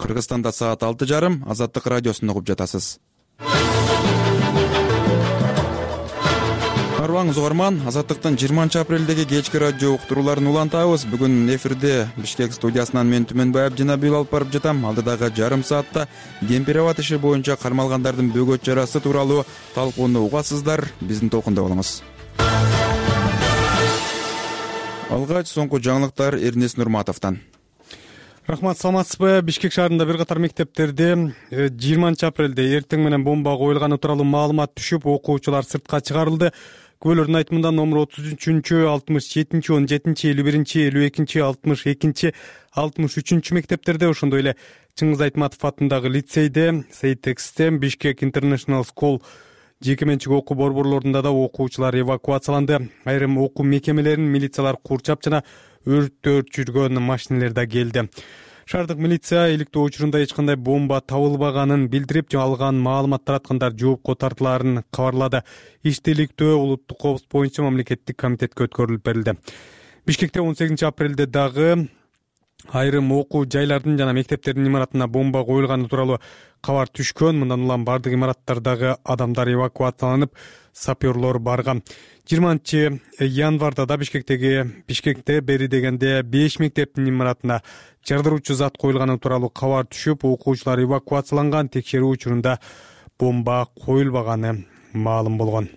Кыргызстанда саат 6:30. Азаттык радиосун угуп жатасыз. Арбаңыз угарман, Азаттыктын 20-апрелдеги кечки радио уктурууларын улантабыз. Бүгүн эфирде Бишкек студиясынан мен Түмөнбаев жана Бил алып барып жатам. Алдыдагы жарым саатта Кемпир-Абад иши боюнча кармалгандардын бөгөт чарасы тууралуу талкууну угасыздар. Биздин толкунда болуңуз. Алгач соңку жаңылыктар Эрнес Нурматовдон. Рахмат, саламатсызбы? Бишкек шаарында бир катар мектептерде 20-апрелде эртең менен бомба коюлганы тууралуу маалымат түшүп, окуучулар сыртка чыгарылды. Күбөлөрдүн айтымында номер 33, 67, 17, 51, 52, 62, 63 мектептерде, ошондой эле Чыңгыз Айтматов атындагы лицейде, Сейтексте, Бишкек International School жеке менчик окуу борборлорунда да окуучулар эвакуацияланды. Айрым окуу мекемелерин милициялар курчап жана өрттөр жүргөн машиналар да келди. Шаардык милиция иликтөө учурунда эч кандай бомба табылбаганын билдирип, алган маалымат тараткандар жоопко тартылаарын кабарлады. Ишти иликтөө улуттук коопсуздук боюнча мамлекеттик комитетке өткөрүлүп берилди. Бишкекте 18-апрелде дагы айрым окуу жайлардын жана мектептердин имаратына бомба коюлганы тууралуу кабар түшкөн. Мындан улам бардык имараттардагы адамдар эвакуацияланып, саперлор барган. 20-январда да Бишкекте бери дегенде 5 мектептин имаратына жардыруучу зат коюлганы тууралуу кабар түшүп, окуучулар эвакуацияланган. Текшерүү учурунда бомба коюлбаганы маалым болгон.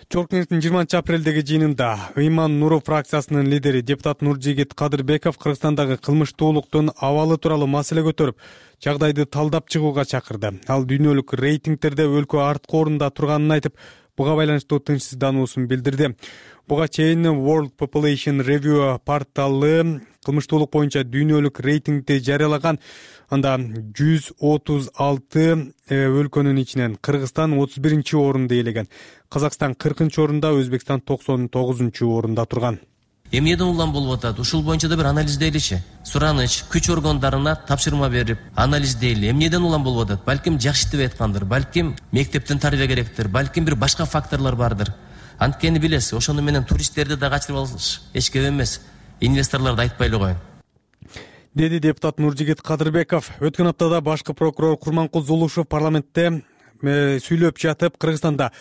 Чорку кеңештин 20-апрелдеги жыйынында Ыйман Нуров фракциясынын лидери депутат Нуржигит Кадырбеков Кыргызстандагы кылмыштуулуктун абалы тууралуу маселе көтөрүп, жагдайды талдап чыгууга чакырды. Ал дүйнөлүк рейтингтерде өлкө арткы орунда турганын айтып, буга байланыштуу тынчсыздануусун билдирди. Буга чейин World Population Review порталы кылмыштуулук боюнча дүйнөлүк рейтингди жарыялаган. Анда 136 өлкөнүн ичинен Кыргызстан 31-орунду ээлеген. Казакстан 40-орунда, Өзбекстан 99-орунда турган. Эмнеден улам болуп атат? Ушул боюнча да бир анализдейличи. Сураныч күч органдарына тапшырма берип, анализдейли. Эмнеден улам болуп атат? Балким жакшы иштебей аткандыр, балким мектептен тарбия керектир, балким бир башка факторлор бардыр. Анткени билесиз, ошону менен туристтерди да качырып алыш эч кеп эмес. Инвесторлорду айтпай эле коюн, деди депутат Нуржигит Кадырбеков. Өткөн аптада башкы прокурор Курманкул Зулушев парламентте сүйлөп жатып, Кыргызстанда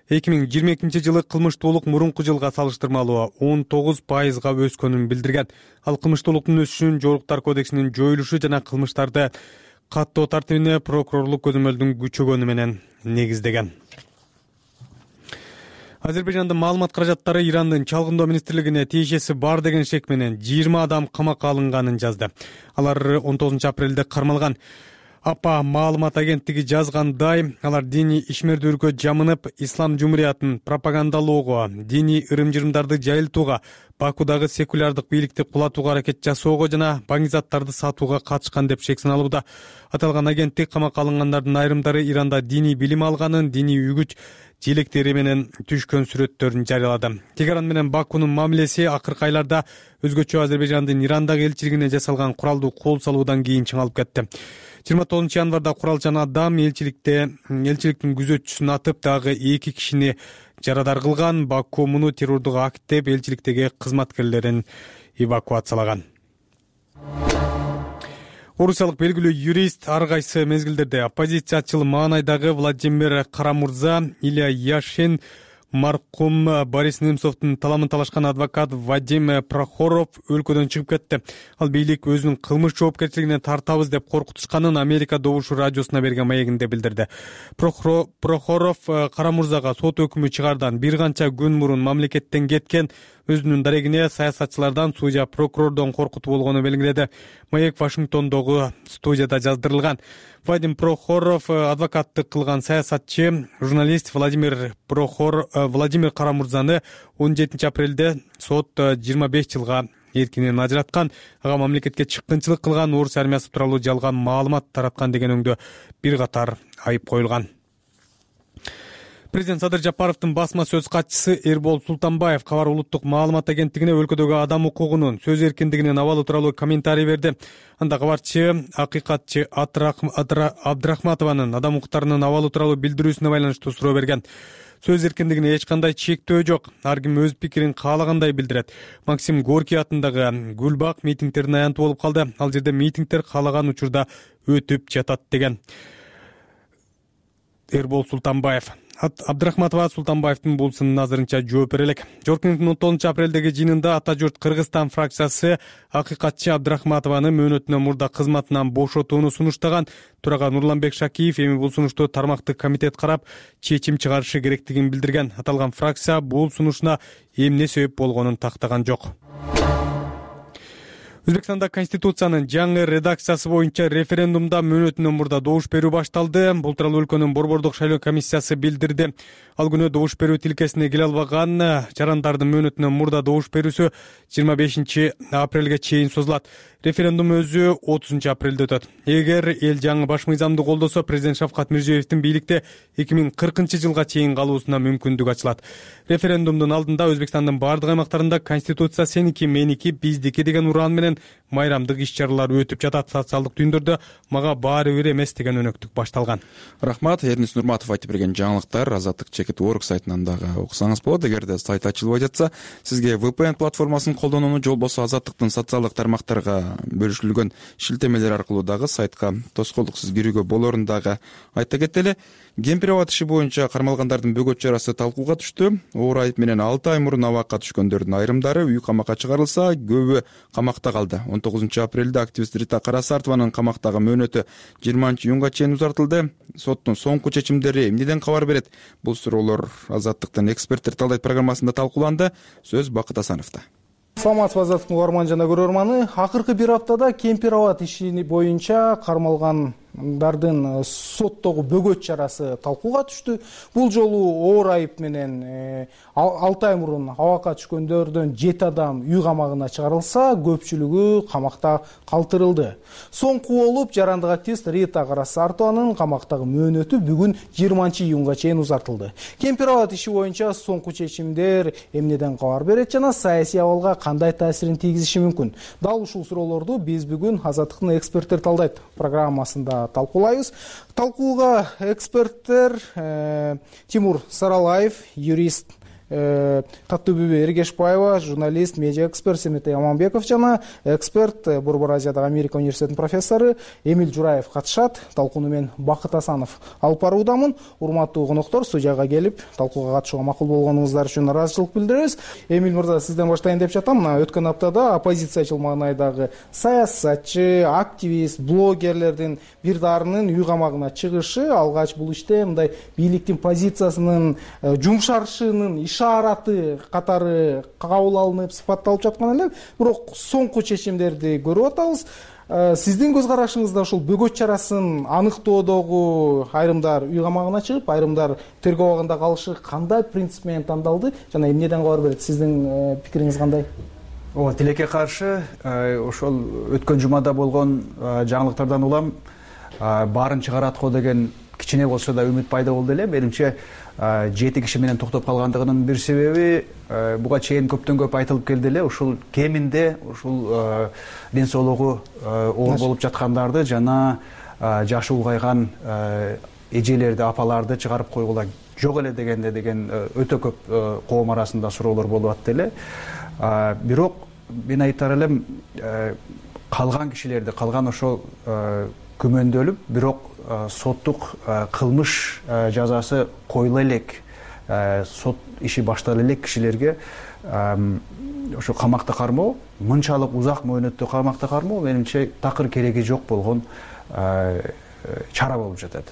2022-жылы кылмыштуулук мурунку жылга салыштырмалуу 19%га өскөнүн билдирген. Ал кылмыштуулуктун өсүшүн Жоруктар кодексинин жоюлушу жана кылмыштарды каттоо тартибине прокурорлук көзөмөлдүн күчөгөнү менен негиздеген. Азербайжандын маалымат каражаттары Ирандын чалгындоо министрлигине тиешеси бар деген шек менен 20 адам камакка алынганын жазды. Алар 19-апрелде кармалган. АПА маалымат агенттиги жазгандай, алар диний ишмердүүлүккө жамынып, ислам жумуриятын пропагандалоого, диний ырым-жырымдарды жайылтууга, Бакудагы секулярдык бийликти кулатууга аракет жасоого жана баңгизаттарды сатууга катышкан деп шек саналууда. Аталган агенттик камакка алынгандардын айрымдары Иранда диний билим алганын, диний үгүт желектери менен түшкөн сүрөттөрүн жарыялады. Тегеран менен Бакунун мамилеси акыркы айларда өзгөчө Азербайжандын Ирандагы элчилигине жасалган куралдуу кол салуудан кийин чыңалып кетти. 29 январда куралчан адам элчиликтин күзөтчүсүн атып, дагы 2 кишини жарадар кылган. Баку муну террордук акт деп элчиликтеги кызматкерлерин эвакуациялаган. Орусиялык белгилүү юрист ар кайсы мезгилдерде оппозициячыл маанайдагы Владимир Карамурза, Илья Яшин, маркум Борис Немцовдун таламын талашкан адвокат Вадим Прохоров өлкөдөн чыгып кетти. Ал бийлик өзүнүн кылмыш жоопкерчилигине тартабыз деп коркутушканын Америка Добушу радиосуна берген маегинде билдирди. Прохоров Карамурзага сот өкүмү чыгардан бир канча күн мурун мамлекеттен кеткен. Өзүнүн дарегине саясатчылардан, судья прокурордон коркутуу болгону белгиледи. Маек Вашингтондогу студияда жаздырылган. Вадим Прохоров адвокаттык кылган саясатчы, журналист Владимир Карамурзаны 17-апрелде сот 25 жылга эркинен ажыраткан. Ага мамлекетке чыккынчылык кылган, орус армиясы тууралуу жалган маалымат тараткан деген өңдө бир катар айып коюлган. Президент Садыр Жапаровдун басма сөз катчысы Эрбол Султанбаев Кабар улуттук маалымат агенттигине өлкөдөгү адам укугунун, сөз эркиндигинин абалы тууралуу комментарий берди. Анда кабарчы акыйкатчы Абдрахматованын адам укуктарынын абалы тууралуу билдирүүсүнө байланыштуу суроо берген. Сөз эркиндигине эч кандай чектөө жок. Ар ким өз пикирин каалагандай билдирет. Максим Горький атындагы Гүлбак митингдердин аянты болуп калды. Ал жерде митингдер каалаган учурда өтүп жатат деген. Эрбол Султанбаев. Абдрахматова Султанбаевдин бул сынына азырынча жооп бере элек. Жоркингдин 9 апрелдеги жыйынында Ата журт Кыргызстан фракциясы акыйкатчы Абдрахматованы мөөнөтүнөн мурда кызматынан бошотууну сунуштаган. Төрага Нурланбек Шакиев эми бул сунушту тармактык комитет карап, чечим чыгарышы керектигин билдирген. Аталган фракция бул сунушуна эмне себеп болгонун тактаган жок. Өзбекстанда Конституциянын жаңы редакциясы боюнча референдумда мөөнөтүнөн мурда добуш берүү башталды. Бул тууралуу өлкөнүн Борбордук шайлоо комиссиясы билдирди. Ал күнү добуш берүү тилкесине келе албаган жарандардын мөөнөтүнөн мурда добуш берүүсү 25 апрелге чейин созулат. Референдум өзү 30 апрелде өтөт. Эгер эл жаңы баш мыйзамды колдосо, президент Шавкат Мирзиёевдин бийликте 2040 жылга чейин калуусуна мүмкүндүк ачылат. Референдумдун алдында Өзбекстандын бардык аймактарында Конституция сеники, меники, биздики деген уран менен майрамдык иш-чаралар өтүп жатат. Социалдык түйүндөрдө мага баары бир эмес деген өнөктүк башталган. Рахмат. Эрнис Нурматов айтып берген жаңылыктар Азаттык Чекит.org сайтынан дагы окусаңыз болот. Эгерде сайт ачылбай жатса, сизге VPN платформасын колдонууну же болбосо Азаттыктын социалдык тармактарга бөлүшүлгөн шилтемелер аркылуу дагы сайтка тоскоолдуксуз кирүүгө болорун дагы айта кетели. Кемпир-аба иши боюнча кармалгандардын бөгөт чарасы талкууга түштү. Оор айып менен 6 ай мурун абакка түшкөндөрдүн айрымдары үй камакка чыгарылса, көбү камакта калды. 19 апрелде активист Рита Карасартованын камактагы мөөнөтү 20 июнга чейин узартылды. Соттун соңку чечимдери эмнеден кабар берет? Бул суроолор Азаттыктын эксперттер талдайт программасында талкууланды. Сөз Бакыт Асановдо. Саламатсызбы Азаттыктын угарман жана көрөрманы. Акыркы бир аптада кемпир-аба иши боюнча кармалгандардын соттогу бөгөт чарасы талкууга түштү. Бул жолу оор айып менен 6 ай мурун абакка түшкөндөрдөн 7 адам үй камагына чыгарылса, көпчүлүгү камакта калтырылды. Соңку болуп, жарандык активист Рита Карасартованын камактагы мөөнөтү бүгүн 20 июнга чейин узартылды. Кемпир-аба иши боюнча соңку чечимдер эмнеден кабар берет жана саясий абалга кандай таасирин тийгизиши мүмкүн? Дал ушул суроолорду биз бүгүн Азаттыктын эксперттер талдайт программасында талкуулайбыз. Талкууга эксперттер Тимур Саралаев, юрист, Каттыбүбү Эргешбаева, журналист, медиа эксперт Семетей Аманбеков жана эксперт Борбор Азиядагы Америка университетинин профессору Эмиль Жураев катышат. Талкууну мен Бакыт Асанов алып баруудамын. Урматтуу коноктор, студияга келип талкууга катышууга макул болгонуңуздар үчүн ыраазычылык билдиребиз. Эмиль мырза, сизден баштайын деп жатам. Мына өткөн аптада оппозициячыл маанайдагы саясатчы, активист, блогерлердин бир дарынын үй камагына чыгышы алгач бул иште мындай бийликтин позициясынын жумшарышынын ишараты катары кабыл алынып сыпатталып жаткан эле. Бирок соңку чечимдерди көрүп атабыз. Сиздин көз карашыңызда ушул бөгөт чарасын аныктоодогу айрымдар үй камагына чыгып, айрымдар тергөө абагында калышы кандай принцип менен тандалды жана эмнеден кабар берет? Сиздин пикириңиз кандай? Ооба, тилекке каршы ошол өткөн жумада болгон жаңылыктардан улам баарын чыгарат го деген кичине болсо да үмүт пайда болду эле. Менимче 7 киши менен токтоп калгандыгынын бир себеби буга чейин көптөн көп айтылып келди эле. Ушул кеминде ушул ден соолугу оор болуп жаткандарды жана жашы улгайган эжелерди, апаларды чыгарып койгула жок эле деген өтө көп коом арасында суроолор болуп атты эле. Бирок мен айтар элем, калган кишилерди, калган ошол күмөндөлүп, бирок соттук кылмыш жазасы коюла элек, сот иши баштала элек кишилерге ошо камакта кармоо, мынчалык узак мөөнөттө камакта кармоо менимче такыр кереги жок болгон чара болуп жатат.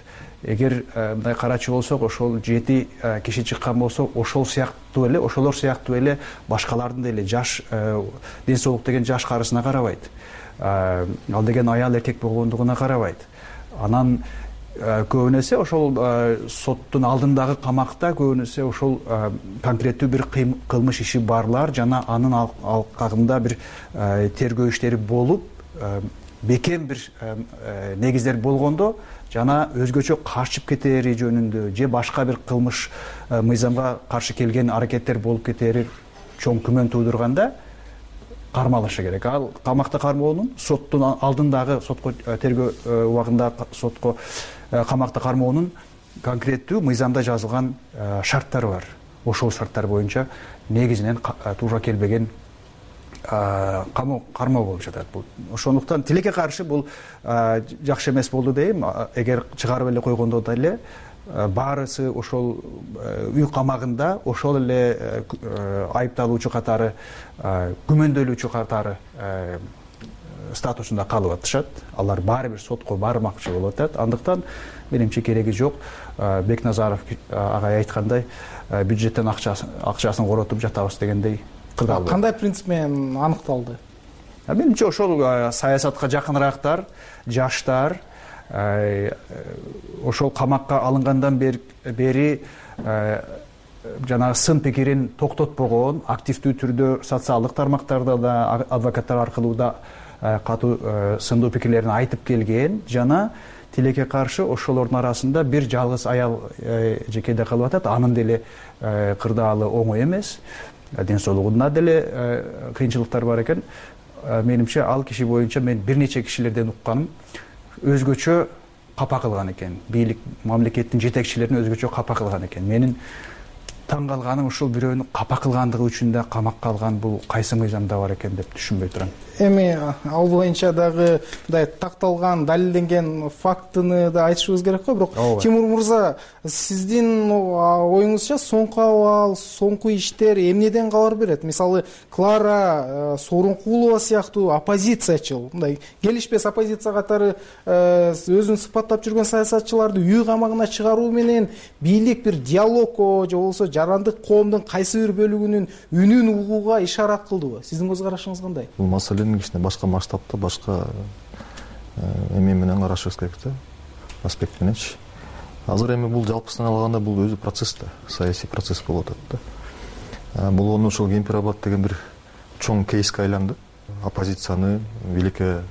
Эгер мындай карачы болсок, ошол 7 киши чыккан болсо, ошолор сыяктуу эле башкалардын деле жаш ден соолук деген жаш карысына карабайт. Ал деген аял эркек болгондугуна карабайт. Анан көбүнесе ошол соттун алдындагы камакта көбүнесе ошол конкреттүү бир кылмыш иши барлар жана анын алкагында бир тергөө иштери болуп, бекем бир негиздер болгондо жана өзгөчө качып кетери жөнүндө же башка бир кылмыш мыйзамга каршы келген аракеттер болуп кетери чоң күмөн туудурганда кармалышы керек. Ал камакта кармоонун соттун алдындагы сотко тергөө убагында сотко камакта кармоонун конкреттүү мыйзамда жазылган шарттары бар. Ошол шарттар боюнча негизинен туура келбеген кармоо болуп жатат. Ошондуктан тилекке каршы бул жакшы эмес болду дейм. Эгер чыгарып эле койгондо деле баарысы ошол үй камагында ошол эле айыпталуучу катары, күмөндөлүүчү катары статусунда калып атышат. Алар баары бир сотко бармакчы болуп атат. Андыктан менимче кереги жок. Бекназаров агай айткандай, бюджеттен акчасын коротуп жатабыз дегендей кырдаалды. Кандай принцип менен аныкталды? Менимче ошол саясатка жакыныраактар, жаштар ошол камакка алынгандан бери жанагы сын пикирин токтотпогон, активдүү түрдө социалдык тармактарда да адвокаттар аркылуу да катуу сындуу пикирлерин айтып келген жана тилекке каршы ошолордун арасында бир жалгыз аял жекеде калып атат. Анын деле кырдаалы оңой эмес, ден соолугунда деле кыйынчылыктар бар экен. Менимче ал киши боюнча мен бир нече кишилерден укканым өзгөчө капа кылган экен. Бийлик, мамлекеттин жетекчилерин өзгөчө капа кылган экен. Менин таң калганым ушул бирөөнү капа кылгандыгы үчүн да камакка алган бул кайсы мыйзамда бар экен деп түшүнбөй турам. Эми ал боюнча дагы мындай такталган, далилденген фактыны да айтышыбыз керек го. Бирок Тимур мырза, сиздин оюңузча соңку абал, соңку иштер эмнеден кабар берет? Мисалы, Клара Сооронкулова сыяктуу оппозициячыл, мындай келишпес оппозиция катары өзүн сыпаттап жүргөн саясатчыларды үй камагына чыгаруу менен бийлик бир диалогго же болбосо жарандык коомдун кайсы бир бөлүгүнүн үнүн угууга ишарат кылдыбы? Сиздин көз карашыңыз кандай? Бул маселени кичине башка масштабта, башка эме менен карашыбыз керек да, аспект мененчи. Азыр эми бул жалпысынан алганда бул өзү процесс да, саясий процесс болуп атат да. Бул ошол Кемпир-Абад деген бир чоң кейске айланды. Оппозицияны, бийликке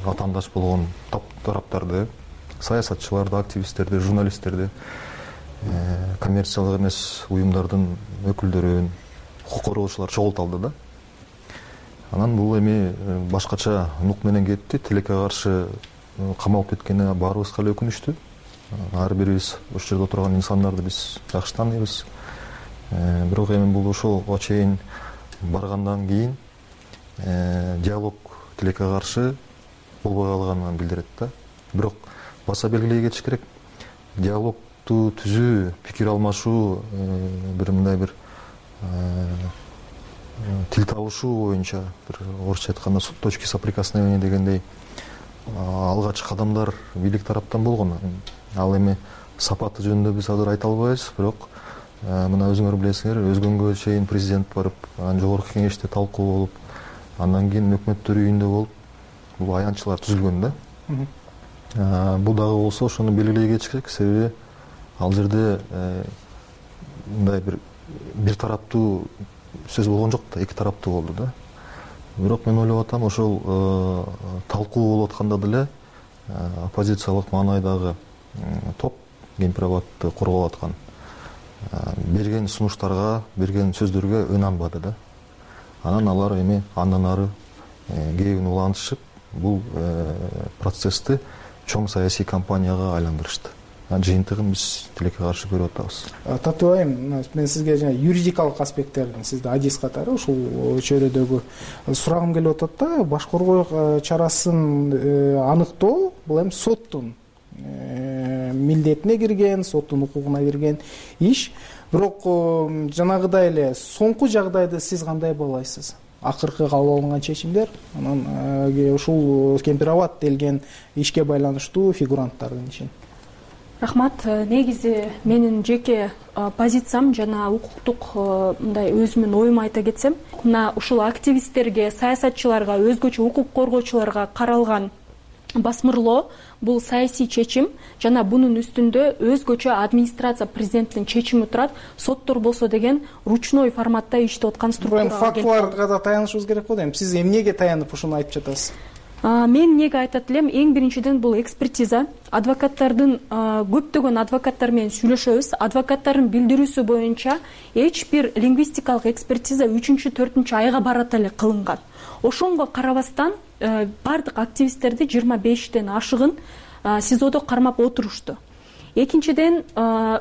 атаандаш болгон тараптарды, саясатчыларды, активисттерди, журналисттерди, коммерциялык эмес уюмдардын өкүлдөрүн, укук коргоочулар чогулталды да. Анан бул эми башкача нук менен кетти. Тилекке каршы камалып кеткени баарыбызга эле өкүнүчтүү. Ар бирибиз ошол жерде отурган инсандарды биз жакшы тааныйбыз. Бирок эми бул ошолго чейин баргандан кийин диалог тилекке каршы болбой калганын билдирет да. Бирок баса белгилей кетиш керек. Диалогду түзүү, пикир алмашуу, бир мындай бир тил табышуу боюнча, бир орусча айтканда точки соприкосновения дегендей алгач кадамдар бийлик тараптан болгон. Ал эми сапаты жөнүндө биз азыр айта албайбыз, бирок мына өзүңөр билесиңер, өзгөнгө чейин президент барып, анан жогорку кеңеште талкуу болуп, андан кийин өкмөттөр үйүндө болуп, бул аянтчылар түзүлгөн да. Бул дагы болсо ошону белгилей кетиш керек, себеби ал жерде мындай бир тараптуу сөз болгон жок да, эки тараптуу болду да. Бирок мен ойлоп атам, ошол талкуу болуп атканда деле оппозициялык маанайдагы топ, Кемпир-Абадты корголоп аткан, берген сунуштарга, берген сөздөргө өн албады да. Анан алар эми андан ары кээбин улантышып, бул процессти чоң саясий кампанияга айландырышты. Жыйынтыгын биз тилекке каршы көрүп атабыз. Татыбай айым, мен сизге жана юридикалык аспекттердин, сизде адис катары ушул чөйрөдөгү сурагым келип атат да. Баш коргоо чарасын аныктоо бул эми соттун милдетине кирген, соттун укугуна кирген иш. Бирок жанагыдай эле соңку жагдайды сиз кандай баалайсыз? Акыркы кабыл алынган чечимдер, анан ушул Кемпир-Абад делген ишке байланыштуу фигуранттардын ишин. Рахмат. Негизи менин жеке позициям жана укуктук мындай өзүмдүн оюмду айта кетсем, мына ушул активисттерге, саясатчыларга, өзгөчө укук коргоочуларга каралган басмырлоо бул саясий чечим жана бунун үстүндө өзгөчө администрация президенттин чечими турат. Соттор болсо деген ручной форматта иштеп аткан структура. Фактыларга да таянышыбыз керек го дейм. Сиз эмнеге таянып ушуну айтып жатасыз? Мен эмнеге айтат элем, эң биринчиден бул экспертиза. Адвокаттардын көптөгөн адвокаттар менен сүйлөшөбүз. Адвокаттардын билдирүүсү боюнча эч бир лингвистикалык экспертиза 3-4 айга барат эле кылынган. Ошонго карабастан бардык активисттерди 25ден ашыгын СИЗОдо кармап отурушту. Экинчиден,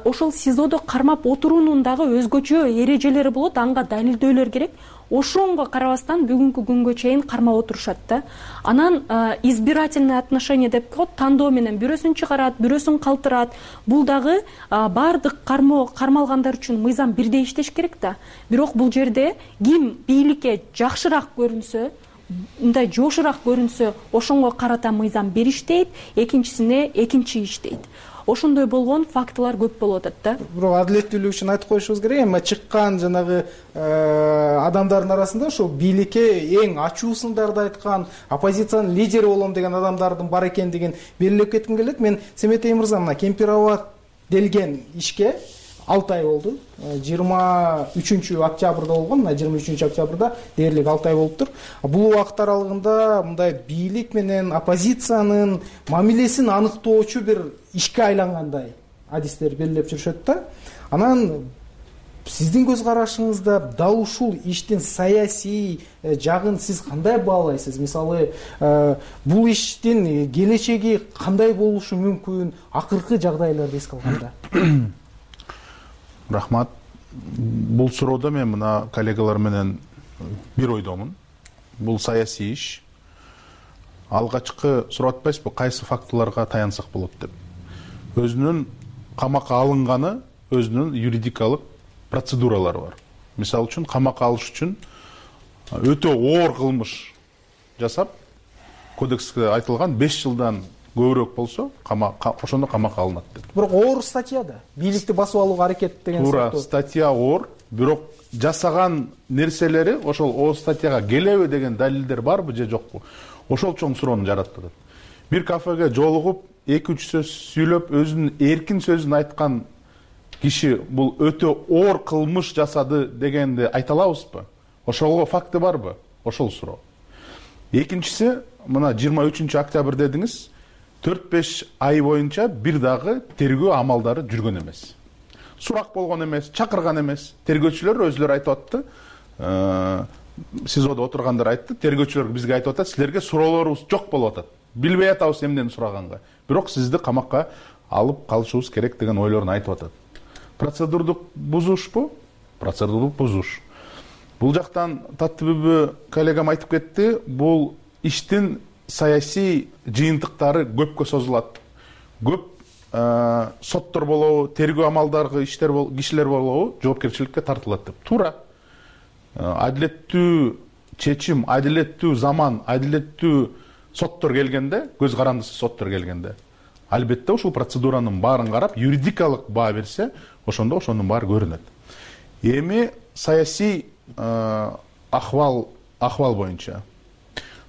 ошол СИЗОдо кармап отуруунун дагы өзгөчө эрежелери болот, анга далилдөөлөр керек. Ошонго карабастан бүгүнкү күнгө чейин кармап отурушат да. Анан избирательное отношение деп коет, тандоо менен бирөөсүн чыгарат, бирөөсүн калтырат. Бул дагы бардык кармалгандар үчүн мыйзам бирдей иштеш керек да. Бирок бул жерде ким бийликке жакшыраак көрүнсө, мындай жошураак көрүнсө, ошонго карата мыйзам бир иштейт, экинчисине экинчи иштейт. Ошондой болгон фактылар көп болуп атат да. Бирок адилеттүүлүк үчүн айтып коюшубуз керек. Эми чыккан жанагы адамдардын арасында ошо бийликке эң ачуусун дагы айткан, оппозициянын лидери болом деген адамдардын бар экендигин белгилеп кетким келет. Мен Семетей мырза, мына Кемпирабад делген ишке 6 ай болду. 23-октябрда болгон, мына 23-октябрда дээрлик 6 ай болуптур. Бул убакыт аралыгында мындай бийлик менен оппозициянын мамилесин аныктоочу бир ишке айлангандай адистер белгилеп жүрүшөт да. Анан сиздин көз карашыңызда дал ушул иштин саясий жагын сиз кандай баалайсыз? Мисалы, бул иштин келечеги кандай болушу мүмкүн акыркы жагдайларды эске алганда? Рахмат. Бул суроодо мен мына коллегалар менен бир ойдомун. Бул саясий иш. Алгачкы сурап атпайсызбы, кайсы фактыларга таянсак болот деп. Өзүнүн камакка алынганы, өзүнүн юридикалык процедуралары бар. Мисалы үчүн камакка алыш үчүн өтө оор кылмыш жасап, кодексте айтылган 5 жылдан көбүрөөк болсо, ошондо камакка алынат деп. Бирок оор статья да. Бийликти басып алууга аракет деген туура статья оор, бирок жасаган нерселери ошол оор статьяга келеби деген далилдер барбы же жокпу? Ошол чоң суроону жаратып атат. Бир кафеге жолугуп, 2-3 сөз сүйлөп, өзүнүн эркин сөзүн айткан киши бул өтө оор кылмыш жасады дегенди айта алабызбы? Ошолго факты барбы? Ошол суроо. Экинчиси, мына 23-октябрь дедиңиз, 4-5 ай боюнча бир дагы тергөө амалдары жүргөн эмес. Сурак болгон эмес, чакырган эмес. Тергөөчүлөр өзүлөрү айтып атты. СИЗОдо отургандар айтты. Тергөөчүлөр бизге айтып атат, силерге суроолорубуз жок болуп атат. Билбей атабыз эмнени сураганга. Бирок сизди камакка алып калышыбыз керек деген ойлорун айтып атат. Процедурдук бузушпу? Процедурдук бузуш. Бул жактан Таттыбүбү коллегам айтып кетти, бул иштин саясий жыйынтыктары көпкө созулат. Көп соттор болобу, тергөө амалдары кишилер болобу жоопкерчиликке тартылат деп. Туура. Адилеттүү чечим, адилеттүү заман, адилеттүү соттор келгенде, көз карандысы соттор келгенде, албетте ушул процедуранын баарын карап, юридикалык баа берсе, ошондо ошонун баары көрүнөт. Эми саясий ахвал боюнча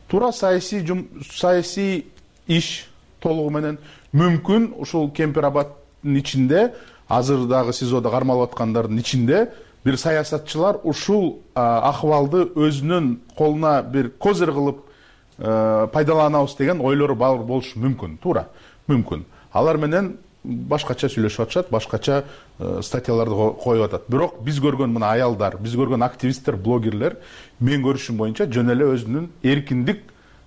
туура саясий иш толугу менен мүмкүн ушул Кемпирабадтын ичинде, азыр дагы СИЗОдо кармалып аткандардын ичинде бир саясатчылар ушул ахвалды өзүнүн колуна бир козыр кылып пайдаланабыз деген ойлору бар болушу мүмкүн. Туура, мүмкүн. Алар менен башкача сүйлөшүп атышат, башкача статьяларды коюп атат. Бирок биз көргөн мына аялдар, биз көргөн активисттер, блогерлер мен көрүшүм боюнча жөн эле өзүнүн эркиндик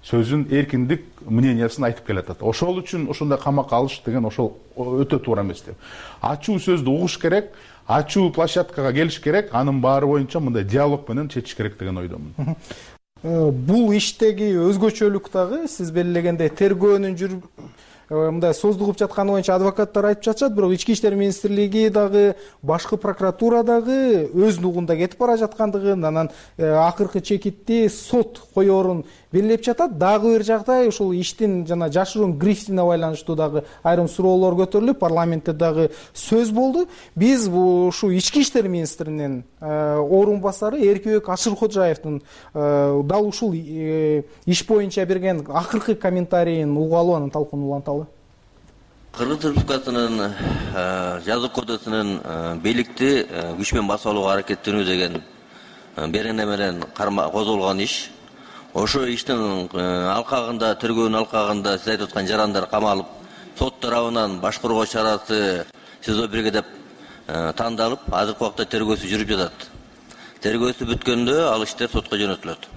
сөзүн, эркиндик мнениясын айтып келатат. Ошол үчүн ошондой камакка алыш деген ошол өтө туура эмес деп. Ачуу сөздү угуш керек, ачуу площадкага келиш керек, анын баары боюнча мындай диалог менен чечиш керек деген ойдомун. Бул иштеги өзгөчөлүк дагы сиз белгилегендей тергөөнүн мындай создугуп жатканы боюнча адвокаттар айтып жатышат, бирок Ички иштер министрлиги дагы, башкы прокуратура дагы өз нугунда кетип бара жаткандыгын, анан акыркы чекитти сот коерун белгилеп жатат. Дагы бир жагдай ушул иштин жана жашыруун грифтине байланыштуу дагы айрым суроолор көтөрүлүп, парламентте дагы сөз болду. Биз ушу Ички иштер министринин орун басары Эркебек Ашыркожаевдин дал ушул иш боюнча берген акыркы комментарийин угалы, анан талкууну уланталы. Кыргыз Республикасынын жазык кодексинин бийликти күч менен басып алууга аракеттенүү деген берене менен козголгон иш ошо иштин алкагында, тергөөнүн алкагында сиз айтып аткан жарандар камалып, сот тарабынан башкаруу чарасы СИЗО 1 деп тандалып, азыркы убакта тергөөсү жүрүп жатат. Тергөөсү бүткөндө ал иштер сотко жөнөтүлөт.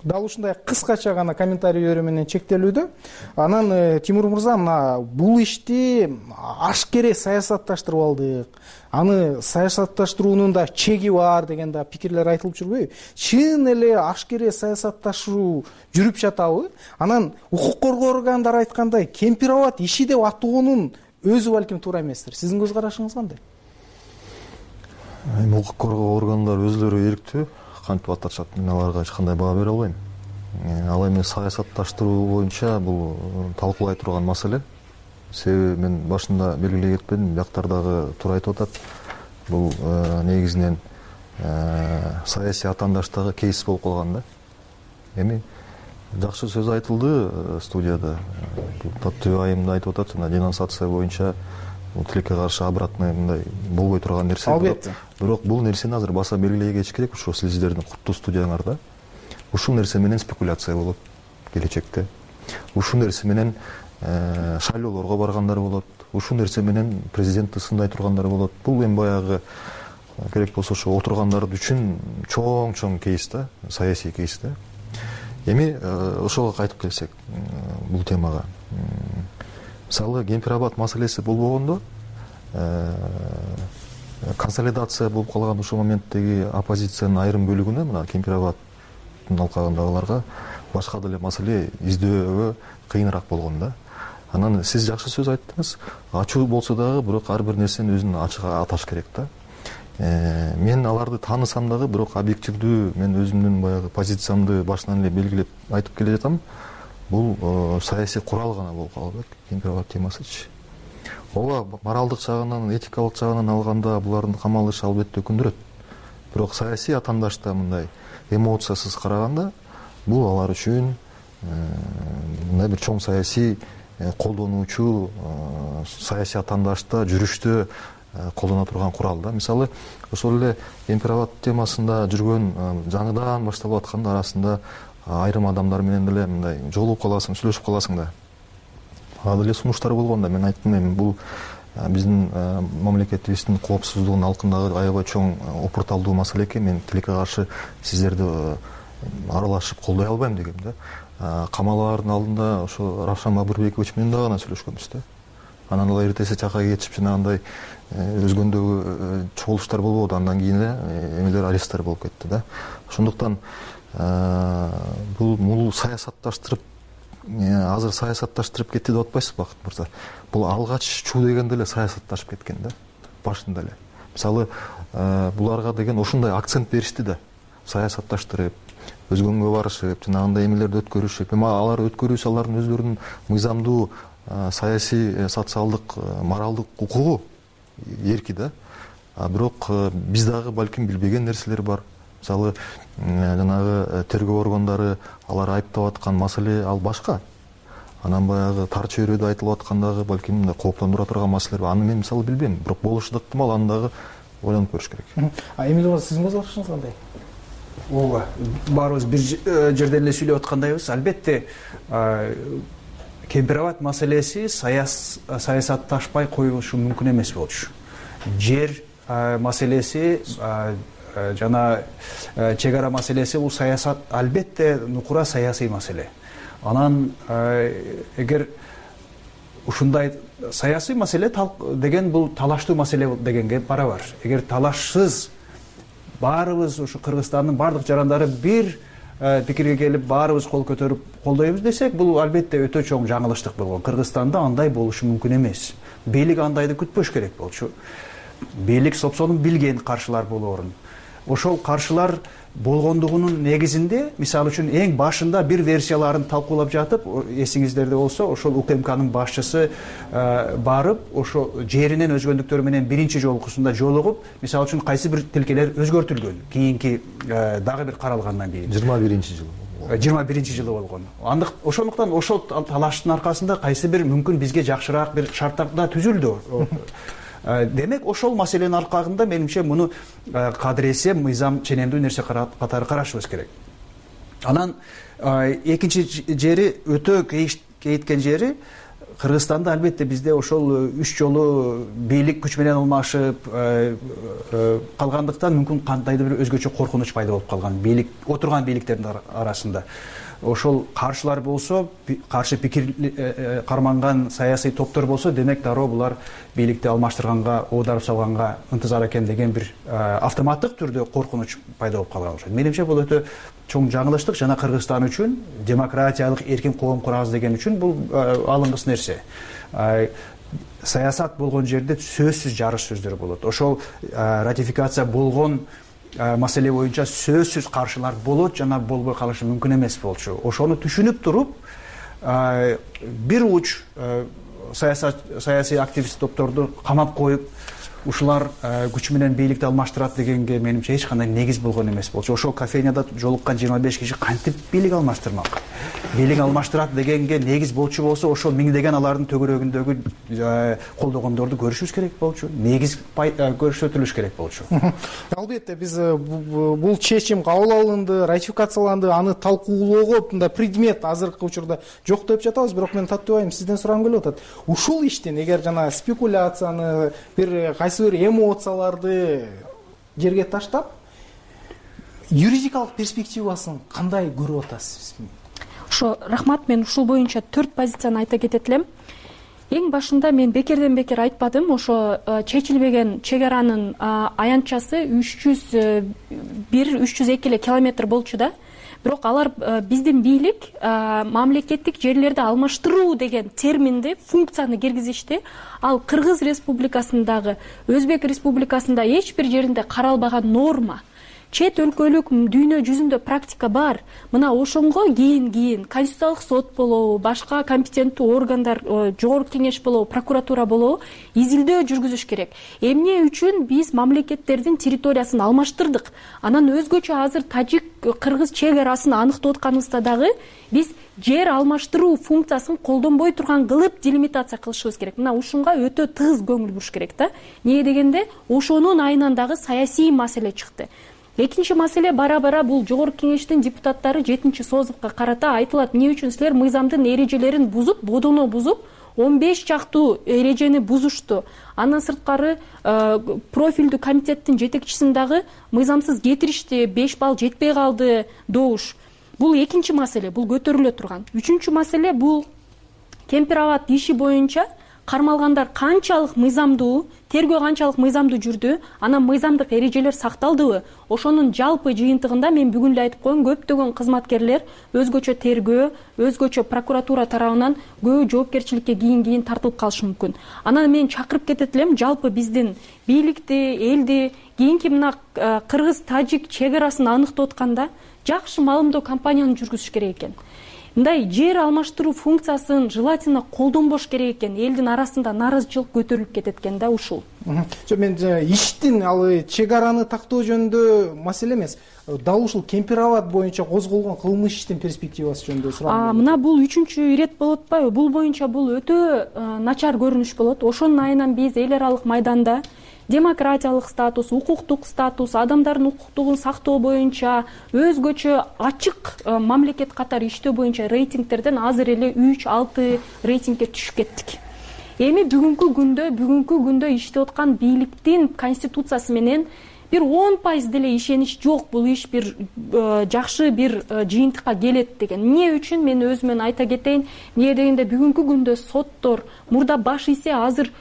Дал ушундай кыскача гана комментарийлер менен чектелүүдө. Анан Тимур мырза, мына бул ишти ашкере саясатташтырып алдык. Аны саясатташтыруунун да чеги бар деген да пикирлер айтылып жүрбөйбү? Чын эле ашкере саясатташуу жүрүп жатабы? Анан укук коргоо органдары айткандай, Кемпирабад иши деп атоонун өзү балким туура эместир. Сиздин көз карашыңыз кандай? Укук коргоо органдары өзлөрү эрктүү кантип аташат, мен аларга эч кандай баа бере албайм. Ал эми саясатташтыруу боюнча бул талкуулай турган маселе. Себеби мен башында белгилей кетпедим, бияктар дагы туура айтып атат. Бул негизинен саясий атаандаштагы кейс болуп калган да. Эми жакшы сөз айтылды студияда. Түбө айымда айтып атат, жана денонсация боюнча тилекке каршы обратный мындай болбой турган нерсе. Албетте. Бирок бул нерсени азыр баса белгилей кетиш керек. Ушул сиздердин куттуу студияңарда ушул нерсе менен спекуляция болот келечекте. Ушул нерсе менен шайлоолорго баргандар болот. Ушул нерсе менен президентти сындай тургандар болот. Бул эми баягы керек болсо ошо отургандар үчүн чоң кейс да, саясий кейс да. Эми ошого кайтып келсек, бул темага. Мисалы, Кемпирабад маселеси болбогондо, консолидация болуп калган ушул моменттеги оппозициянын айрым бөлүгүнө, мына Кемпирабаддын алкагындагыларга башка деле маселе издөөгө кыйыныраак болгон да. Анан сиз жакшы сөз айттыңыз. Ачуу болсо дагы, бирок ар бир нерсени өзүнүн ачыгы аташ керек да. Мен аларды таанысам дагы, бирок объективдүү мен өзүмдүн баягы позициямды башынан эле белгилеп айтып келе жатам. Бул саясий курал гана болуп калды Кемпирабад темасычы. Ооба, моралдык жагынан, этикалык жагынан алганда булардын камалышы албетте өкүндүрөт. Бирок саясий атаандашта мындай эмоциясыз караганда, бул алар үчүн мындай бир чоң саясий колдонуучу, саясий атаандашта жүрүштө колдоно турган курал да. Мисалы, ошол эле Кемпирабад темасында жүргөн жаңыдан башталып аткан арасында айрым адамдар менен деле мындай жолугуп каласың, сүйлөшүп каласың да. Ага деле сунуштар болгон да. Мен айттым, эми бул биздин мамлекетибиздин коопсуздугунун алкындагы аябай чоң опурталдуу маселе экен. Мен тилекке каршы сиздерди аралашып колдой албайм дегем да. Камалаардын алдында ошо Равшан Мабырбекович менен дагы гана сүйлөшкөнбүз да. Анан алар эртеси чакка кетип жанагындай өзгөндөгү чогулуштар болбоду. Андан кийин эле эмелер аресттер болуп кетти да. Ошондуктан бул саясатташтырып, азыр саясатташтырып кетти деп атпайсызбы, Бакыт мырза? Бул алгач чуу дегенде эле саясатташып кеткен да, башында эле. Мисалы, буларга деген ошондой акцент беришти да, саясатташтырып, өзгөнгө барышып, жанагындай эмелерди өткөрүшүп. Эми алар өткөрүүсү алардын өздөрүнүн мыйзамдуу саясий, социалдык, моралдык укугу, эрки да. Бирок биз дагы балким билбеген нерселер бар. Мисалы, жанагы тергөө органдары алар айыптап аткан маселе ал башка. Анан баягы тар чөйрөдө айтылып аткандагы балким мындай кооптондура турган маселелер бар. Аны мен мисалы билбейм, бирок болушу да ыктымал, аны дагы ойлонуп көрүш керек. Эмиль мырза, сиздин көз карашыңыз кандай? Ооба, баарыбыз бир жерден эле сүйлөп аткандайбыз. Албетте, Кемпирабад маселеси саясатташпай коюлушу мүмкүн эмес болчу. Жер маселеси жана чек ара маселеси бул саясат, албетте нукура саясий маселе. Анан эгер ушундай саясий маселе деген бул талаштуу маселе дегенге барабар. Эгер талашсыз баарыбыз ушу Кыргызстандын бардык жарандары бир пикирге келип баарыбыз кол көтөрүп колдойбуз десек, бул албетте өтө чоң жаңылыштык болгон. Кыргызстанда андай болушу мүмкүн эмес. Бийлик андайды күтпөш керек болчу. Бийлик сопсонун билген каршылар болоорун. Ошол каршылар болгондугунун негизинде, мисалы үчүн эң башында бир версияларын талкуулап жатып, эсиңиздерде болсо, ошол УКМКнын башчысы барып, ошо жеринин өзгөндүктөрү менен биринчи жолкусунда жолугуп, мисалы үчүн кайсы бир тилкелер өзгөртүлгөн, кийинки дагы бир каралгандан кийин. 21-жылы. 21-жылы болгон. Ошондуктан ошол талаштын аркасында кайсы бир мүмкүн бизге жакшыраак бир шарттар да түзүлдү. Демек, ошол маселенин аркагында менимче муну кадыресе, мыйзам ченемдүү нерсе катары карашыбыз керек. Анан экинчи жери өтө кейиткен жери Кыргызстанда албетте бизде ошол 3 жолу бийлик күч менен алмашып калгандыктан мүмкүн кандайдыр бир өзгөчө коркунуч пайда болуп калган отурган бийликтердин арасында. Ошол каршылар болсо, каршы пикир карманган саясий топтор болсо, демек дароо булар бийликти алмаштырганга, оодарып салганга ынтызар экен деген бир автоматтык түрдө коркунуч пайда болуп калган окшойт. Менимче бул өтө чоң жаңылыштык жана Кыргызстан үчүн, демократиялык эркин коом курабыз деген үчүн бул алынгыс нерсе. Саясат болгон жерде сөзсүз жарыш сөздөр болот. Ошол ратификация болгон маселе боюнча сөзсүз каршылар болот жана болбой калышы мүмкүн эмес болчу. Ошону түшүнүп туруп, бир уч саясий активист топторду камап коюп, ушулар күч менен бийликти алмаштырат дегенге менимче эч кандай негиз болгон эмес болчу. Ошол кофейняда жолуккан 25 киши кантип бийлик алмаштырмак? Бийлик алмаштырат дегенге негиз болчу болсо, ошол миңдеген алардын төгөрөгүндөгү колдогондорду көрүшүбүз керек болчу. Негиз көрсөтүлүш керек болчу. Албетте биз бул чечим кабыл алынды, ратификацияланды, аны талкуулоого мындай предмет азыркы учурда жок деп жатабыз, бирок мен Таттыбай айым сизден сурагым келип атат. Ушул иштин эгер жана спекуляцияны, бир бир эмоцияларды жерге таштап, юридикалык перспективасын кандай көрүп атасыз? Ошо рахмат, мен ушул боюнча 4 позицияны айта кетет элем. Эң башында мен бекерден бекер айтпадым, ошо чечилбеген чек аранын аянтчасы 301-302 эле километр болчу да. Бирок алар биздин бийлик мамлекеттик жерлерди алмаштыруу деген терминди, функцияны киргизишти. Ал Кыргыз Республикасындагы, Өзбек Республикасында эч бир жеринде каралбаган норма. Чет өлкөлүк дүйнө жүзүндө практика бар. Мына ошонго кийин Конституциялык сот болобу, башка компетенттүү органдар, жогорку кеңеш болобу, прокуратура болобу изилдөө жүргүзүш керек. Эмне үчүн биз мамлекеттердин территориясын алмаштырдык? Анан өзгөчө азыр тажик-кыргыз чек арасын аныктап атканыбызда дагы биз жер алмаштыруу функциясын колдонбой турган кылып делимитация кылышыбыз керек. Мына ушунга өтө тыгыз көңүл буруш керек да. Эмне дегенде ошонун айынан дагы саясий маселе чыкты. Экинчи маселе бара-бара бул жогорку кеңештин депутаттары 7-чи созувга карата айтылат. Эмне үчүн силер мыйзамдын эрежелерин бузуп, бодону бузуп, 15 чактуу эрежени бузушту. Андан сырткары профилдүү комитеттин жетекчисин дагы мыйзамсыз кетиришти, 5 балл жетпей калды добуш. Бул экинчи маселе, бул көтөрүлө турган. Үчүнчү маселе бул Кемпир-Абад иши боюнча кармалгандар канчалык мыйзамдуу, тергөө канчалык мыйзамдуу жүрдү, анан мыйзамдык эрежелер сакталдыбы? Ошонун жалпы жыйынтыгында мен бүгүн эле айтып коем, көптөгөн кызматкерлер өзгөчө тергөө, өзгөчө прокуратура тарабынан көбү жоопкерчиликке кийин тартылып калышы мүмкүн. Анан мен чакырып кетет элем, жалпы биздин бийликти, элди кийинки мына кыргыз-тажик чек арасын аныктап атканда жакшы маалымдоо кампанияны жүргүзүш керек экен. Мындай жер алмаштыруу функциясын желательно колдонбош керек экен. Элдин арасында нааразычылык көтөрүлүп кетет экен да ушул. Мен иштин ал чек араны тактоо жөнүндө маселе эмес. Дал ушул Кемпир-Абад боюнча козголгон кылмыш иштин перспективасы жөнүндө сурагым. Мына бул 3-чү ирет болуп атпайбы? Бул боюнча бул өтө начар көрүнүш болот. Ошонун айынан биз эл аралык майданда демократиялык статус, укуктук статус, адамдардын укуктугун сактоо боюнча өзгөчө ачык мамлекет катары иштөө боюнча рейтингтерден азыр эле 3-6 рейтингге түшүп кеттик. Эми бүгүнкү күндө иштеп аткан бийликтин конституциясы менен бир 10% деле ишенич жок. Бул иш бир жакшы бир жыйынтыкка келет деген. Эмне үчүн мен өзүмөн айта кетейин. Эмне дегенде бүгүнкү күндө соттор мурда баш ийсе азыр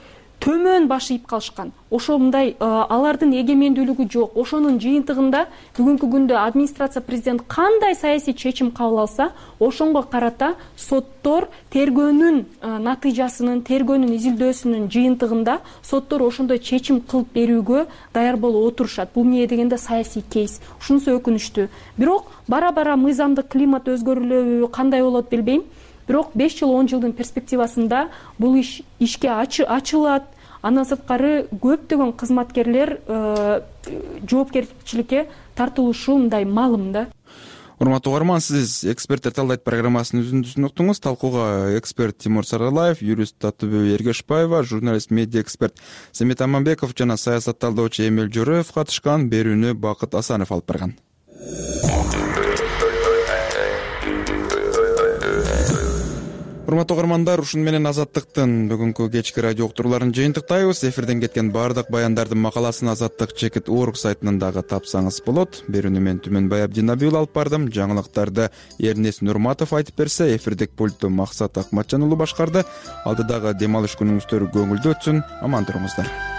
төмөн баш ийип калышкан. Ошо мындай алардын эгемендүүлүгү жок. Ошонун жыйынтыгында бүгүнкү күндө администрация президент кандай саясий чечим кабыл алса, ошонго карата соттор тергөөнүн натыйжасынын, тергөөнүн изилдөөсүнүн жыйынтыгында соттор ошондой чечим кылып берүүгө даяр болуп отурушат. Бул эмне дегенде саясий кейс. Ушунусу өкүнүчтүү. Бирок бара-бара мыйзамдык климат өзгөрүлөбү, кандай болот билбейм. Бирок 5 жыл 10 жылдын перспективасында бул ишке ачылат. Андан сырткары көптөгөн кызматкерлер жоопкерчиликке тартылышы мындай маалым да. Урматтуу угарман, сиз эксперттер талдайт программасынын үзүндүсүн уктуңуз. Талкууга эксперт Тимур Саралаев, юрист Таттыбек Эргешбаева, журналист, медиа эксперт Семет Аманбеков жана саясат талдоочу Эмил Жороев катышкан. Берүүнү Бакыт Асанов алып барган. урматтуу угармандар, ушуну менен Азаттыктын бүгүнкү кечки радио уктурууларын жыйынтыктайбыз. Эфирден кеткен баардык баяндардын макаласын Азаттык.org сайтынан дагы тапсаңыз болот. Берүүнү мен Түмөнбай Абдинабиул алып бардым. Жаңылыктарды Эрнест Нурматов айтып берсе, эфирдик пультту Максат Акматжан уулу башкарды. Алдыдагы дем алыш күнүңүздөр көңүлдүү өтсүн. Аман туруңуздар.